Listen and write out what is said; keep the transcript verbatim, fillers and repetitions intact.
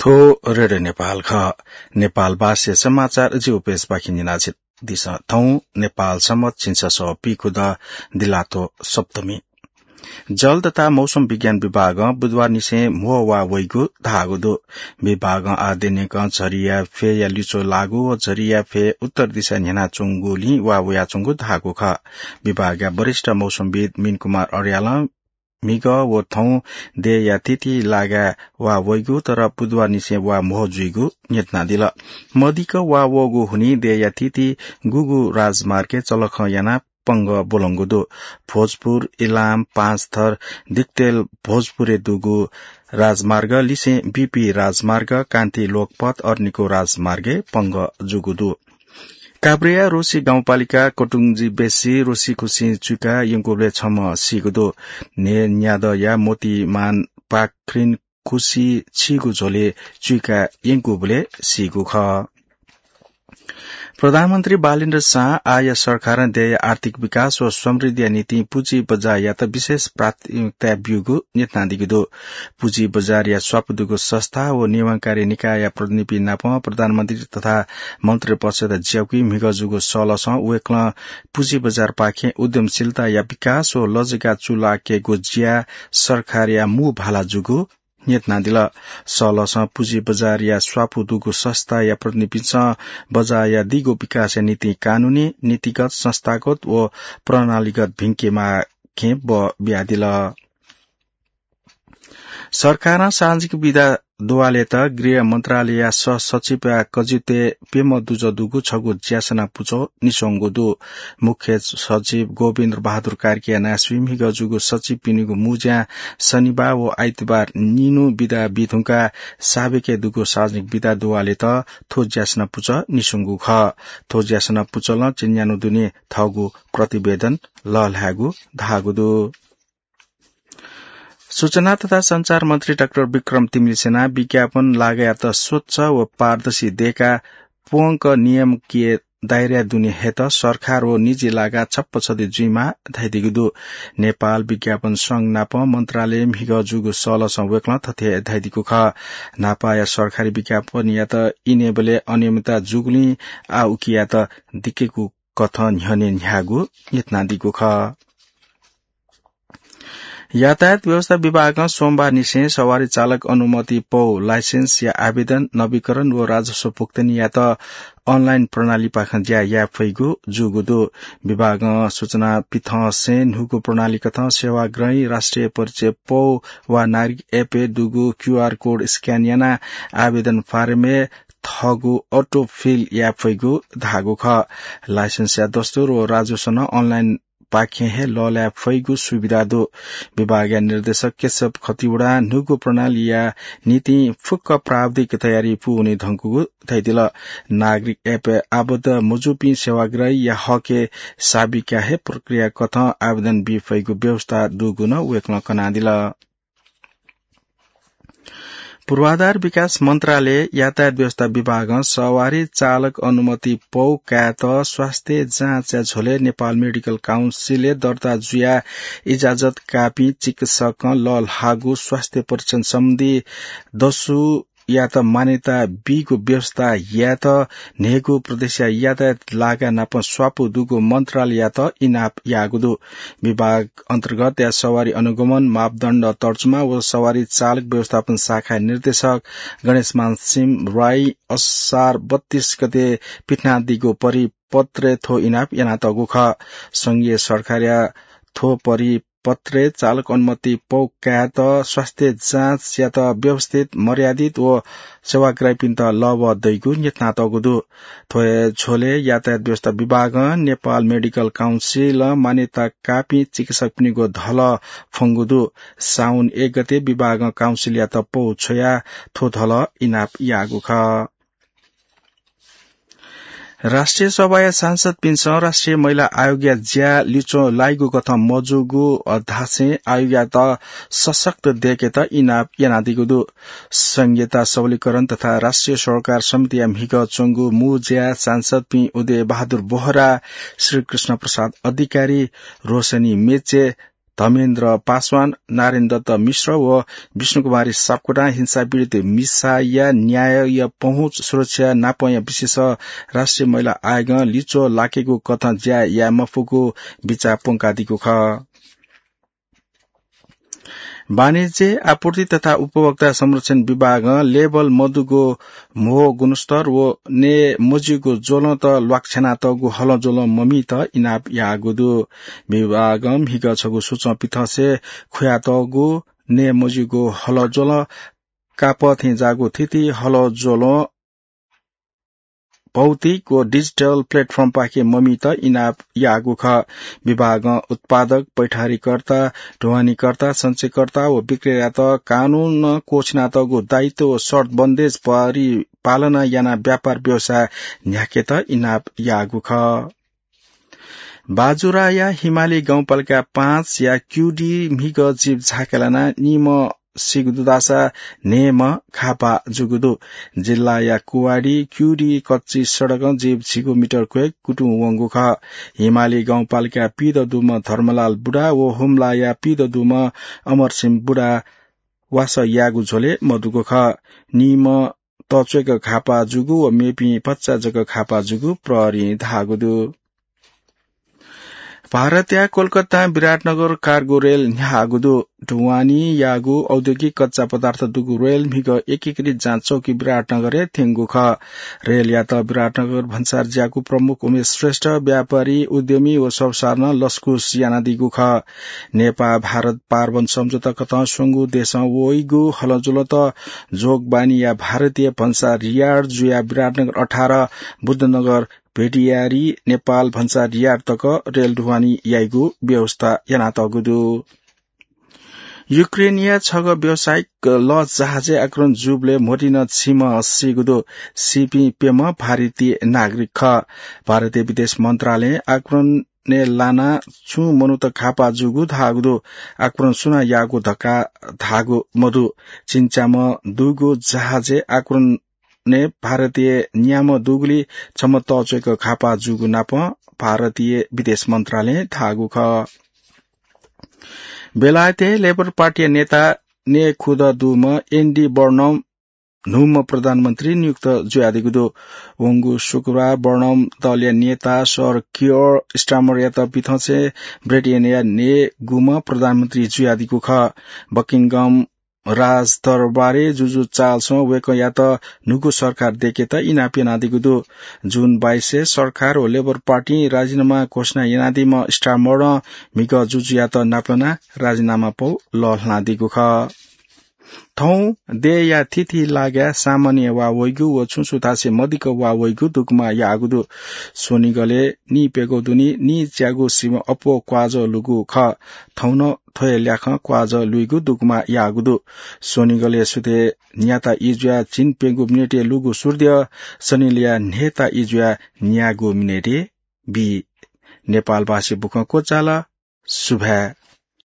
थ्व रेडियो नेपाल खः। नेपाल भाषा समाचार जिगु पेजपाखें न्यनादिसँ। थौं नेपाल संवत् झिंछसः पीखुदँ दिलाथ्व सप्तमी। जल तथा मौसम विज्ञान विभागं बुधबारनिसें म्हो वा वइगु धाःगु दु। विभागं आः दिनेकं झरीया फ्यया लिच्वः लाःगु व झरीया फ्यय् उत्तर दिशाय् न्ह्यानाच्वंगुलिं वा वयाच्वंगु धाःगु खः। विभागया वरिष्ठ मौसमविद् मिन कुमार अर्यालं म्हिगः व थौं देय्‌या थीथी लागाय् वा वइगु, तर बुधबारनिसें वा म्हो जुइगु न्ह्यथनादिल। मदिक्क वा वःगु हुनिं देय्‌या थीथी गुगु राजमार्गय् चलखं यानाः पंगः ब्वलंगु दु। भोजपुर, इलाम, पाँचथर, दिक्तेल, भोजपुरय् दुगु राजमार्ग लिसें बीपी राजमार्ग, कान्ति लोकपथ, अरनिको राजमार्गय् पंगः जूगु दु। काभ्रेया रोसी गाउँपालिका कटुंगजी बेसी रोसी खुसिं चुइका यंकूबलय् छम्ह सीगु दु। न्हे न्यादँया मोतीमान पाख्रिन खुसि छीगु झ्वलय् चुइका यंकूबलय् सीगु खः। प्रधानमन्त्री बालेन्द्र शाह आःया सरकारं देय्‌या आर्थिक विकास व समृद्धिया निंतिं पुँजी बजारयात विशेष प्राथमिकता ब्यूगु न्ह्यथनादीगु दु। पुँजी बजारया स्वापू दुगु संस्था व निर्माणकारी निकायया प्रतिनिधिपिं नाप प्रधानमन्त्री तथा मन्त्रिपरिषदय् ज्याःगु म्हिगः जूगु सलसं वय्‌कलं पुँजी बजारपाखें उद्यमशीलताया विकास व लजगाः चूलाकेगु ज्या सरकारया मू भाला जूगु न्ह्यथनादिल। सलसं पुँजी बजारया स्वापू दुगु संस्थाया प्रतिनिधिपिन्सं बजारया दीगु विकासया निंतिं कानूनी, नीतिगत, संस्थागत व प्रणालीगत भिंकेमाःखें बः बियादिल। सरकारं सार्वजनिक विदा दुवालय्‌त गृह मन्त्रालयया सहसचिवया कजितय् प्यम्ह दुजः दुगु छगू ज्यासना पुचः निस्वंगु दु। मुख्य सचिव गोविन्द बहादुर कार्कीया नायःसुइ म्हिगः जूगु सचिवपिनिगु मू ज्यां शनिबार व आइतबार निन्हु विदा बीधुंकाः साबेकय् दुगु सार्वजनिक विदा दुवालय्‌त थ्व ज्यासना पुचः निस्वंगु खः। थ्व ज्यासना पुचलं चीन्यान्हु दुने थःगु प्रतिवेदन लःल्हायेगु धाःगु दु। सूचना तथा सञ्चार मन्त्री डाक्टर विक्रम तिमिल्सिनां विज्ञापन लागायात स्वच्छ व पारदर्शी दयेकाः प्वंक नियामकीय दायराय् दुने हयेत सरकार व निजी लागाः छप्पा छधी जुइमाः धयादीगु दु। नेपाल विज्ञापन संघ नाप मन्त्रालयय् म्हिगः जूगु सलसं वय्‌कलं थथे धयादीगु खः। न्हापाया सरकारी विज्ञापनयात इनेबलय् अनियमितता जूगुलिं आः उकियात दिकेगु कथं न्ह्यःने न्ह्याःगु न्ह्यथनादीगु खः। यातायात व्यवस्था विभागं सोमबारनिसें सवारी चालक अनुमति पौ, license या आवेदन, नवीकरण व राजस्व भुक्तानीयात online प्रणालीपाखें ज्या याये फइगु जूगु दु। विभागं सूचना पिथंसें न्हूगु प्रणाली कथं सेवाग्राही राष्ट्रिय परिचय पौ वा नागरिक app-य् दुगु QR code scan यानाः आवेदन फारमय् थःगु auto fill याये फइगु धाःगु खः। License या दस्तुर व राजस्व नं online पाखें हे लःल्हाये फइगु सुविधा दु। विभागया निर्देशक केशव खतिवडां न्हूगु प्रणालीया निंतिं फुक्क प्राविधिक तयारी पूवने धुंकूगु धयादिल। नागरिक app-य् आबद्ध मजूपिं सेवाग्राहीया हकय् साबिका हे प्रक्रिया कथं आवेदन बी फइगु व्यवस्था दुगु नं वय्‌कलं कनादिल। पूर्वाधार विकास मन्त्रालय यातायात व्यवस्था विभागं सवारी चालक अनुमति पौ कायेत स्वास्थ्य जाँचया झ्वलय् नेपाल मेडिकल काउन्सिलय् दर्ता जुयाः इजाजत काःपिं चिकित्सकं लःल्हाःगु स्वास्थ्य परीक्षण सम्बन्धी दसु यात मान्यता बीगु व्यवस्था यायेत न्हय्‌गू प्रदेशया यातायात लागाय् नाप स्वापू दुगु मन्त्रालययात इनाप याःगु दु। विभाग अन्तर्गतया सवारी अनुगमन मापदण्ड तर्जुमा व सवारी चालक व्यवस्थापन शाखाया निर्देशक गणेशमान सिंह राई असार बत्तीस गते पिथनादीगु परिपत्रय् थ्व इनाप यानातःगु खः। संघीय सरकारया थ्व परि पत्रय् चालक अनुमति पौ कायेत स्वास्थ्य जाँचयात व्यवस्थित, मर्यादित व सेवाग्राहीपिन्त लःबः दइगु न्ह्यथनातःगु दु। थ्व हे झ्वलय् यातायात व्यवस्था विभागं नेपाल मेडिकल काउन्सिलं मान्यता काःपिं चिकित्सकपिनिगु धलः फ्वंगु दु। साउन एक गते विभागं काउन्सिलयात पौ छ्वयाः थ्व धलः इनाप याःगु खः। राष्ट्रिय सभाया सांसदपिन्सं राष्ट्रिय महिला आयोगया ज्या लिच्वः लाइगु कथं मजूगु धासें आयोगयात सशक्त दयेकेत इनाप यानादीगु दु। संघीयता सबलीकरण तथा राष्ट्रिय सरोकार समितिया म्हिगः च्वंगु मू ज्याय् सांसदपिं उदय बहादुर बोहरा, श्रीकृष्ण प्रसाद अधिकारी, रोशनी मेचे, धर्मेन्द्र पासवान, नारायण दत्त मिश्र व विष्णुकुमारी सापकोटां हिंसा पीडित मिसाया न्यायया पहुँच सुरक्षा नापया विशेष राष्ट्रिय महिला आयोगं लिच्वः लाकेगु कथं ज्या याये मफुगु बिचाः प्वंकादीगु खः। वाणिज्य, आपूर्ति तथा उपभोक्ता संरक्षण विभागं लेबल मदुगु म्हो गुणस्तर व नये मज्यूगु ज्वलंत ल्वाकछ्यानातःगु हलंज्वलं ममीत इनाप याःगु दु। विभागं म्हिगः छगू सूचं पिथंसे खुयातःगु नये मज्यूगु हलंज्वलं कापः थें जाःगु थीथी हलंज्वलं भौतिक व डिजिटल प्लेटफर्मपाखे ममीत इनाप याःगु खः। विभागं उत्पादक, पैठारीकर्ता, ढुवानीकर्ता, सञ्चयकर्ता व विक्रेतायात कानूनं क्वःछिनातःगु दायित्व व शर्त बन्देज परिपालना यानाः व्यापार व्यवसाय न्ह्याकेत इनाप याःगु खः। बाजुराया हिमाली गाउँपालिका पाँचया क्यूडी म्हिगः जीप झाके लानाः निम्ह सीगु दु धाःसा न्हय्म्ह घाःपाः जूगु दु। जिल्लाया कुवाडी क्यूडी कच्ची सडकं जीप झिगू मिटर क्वय् कुतुं वंगु खः। हिमाली गाउँपालिका पीदँ दुम्ह धर्मलाल बुढा व हुम्लाया पीदँ दुम्ह अमरसिंह बुढा वासः यायेगु झ्वलय् मदुगु खः। निम्ह तःच्वय्क घाःपाः जूगु व मेपिं भचा जक घाःपाः जूगु प्रहरीं धाःगु दु। भारतया कोलकातां विराटनगर कार्गो रेल न्ह्याःगु दु। ढुवानी याःगु औद्योगिक कच्चा पदार्थ दुगु रेल म्हिगः एकीकृत जाँच चौकी विराटनगरय् थ्यंगु खः। रेलयात विराटनगर भन्सार ज्याकू प्रमुख उमेश श्रेष्ठ, व्यापारी, उद्यमी व सर्वसाधारणं लसकुस यानादीगु खः। नेपाः भारत पारवन सम्झौता कथं स्वंगू देशं वइगु हलंज्वलंत जोगबानीया भारतीय भन्सार यार्ड जुयाः विराटनगर अठार, बुद्धनगर भेटियारी नेपाल भन्सार यार्ड तक रेल ढुवानी याइगु व्यवस्था यानातःगु दु। युक्रेनया छगः व्यावसायिक लस जहाजय् आक्रमण जूबलय् म्होतिं नं झिम्ह सीगु दु। सीपिं प्यम्ह भारतीय नागरिक खः। भारतीय विदेश मन्त्रालयं आक्रमणय् लानाः छुं मनूत घाःपाः जूगु धाःगु दु। आक्रमण सुनां याःगु धकाः धाःगु मदु। चिन्त्याम्ह दुगु जहाजय् आक्रमण ने भारतीय न्याम्ह दुगुलिं छम्ह तःच्वय्क घाःपाः जूगु नापं भारतीय विदेश मन्त्रालयं धाःगु खः। बेलायतय् लेबर पार्टीया नेता नये खुदँ दुम्ह एन्डी बर्नम न्हूम्ह प्रधानमन्त्री नियुक्त जुयादीगु दु। वंगु शुक्रबार बर्नम दलया नेता सर कियर स्टामरयात पिथंसे ब्रिटेनया नयेगुम्ह प्रधानमन्त्री जुयादीगु खः। बकिंगम राजदरबारय् जुजु चार्ल्सं वय्कःयात न्हूगु सरकार दय्केत इनाप यानादीगु दु। जुन बाइसय् सरकार व लेबर पार्टीं राजीनामा घोषणा यानादीम्ह स्टामरं म्हिगः जुजुयात नापलानाः राजीनामा पौ लःल्हानादीगु खः। थौं देय्या थीथी लागाय् सामान्य वा वइगु व छुं छुं थासय् मदिक्क वा वइगु दुगुमा याःगु दु। स्वनिगलय् निइप्यघौ दुने निइच्यागू सिबें अप्वः क्वाजः लुइगु खः। थौं नं थ्व हे ल्याखं क्वाजः लुइगु दुगुमा याःगु दु। स्वनिगलय् सुथय् न्याता ई जुयाः झिंप्यंगू मिनेटय् लुइगु सूर्द्यः, सनिलय् न्हय्ता ई जुयाः न्यागू मिनेटय् बी। नेपालभाषी बुखँ क्वचाल। सुभाय्।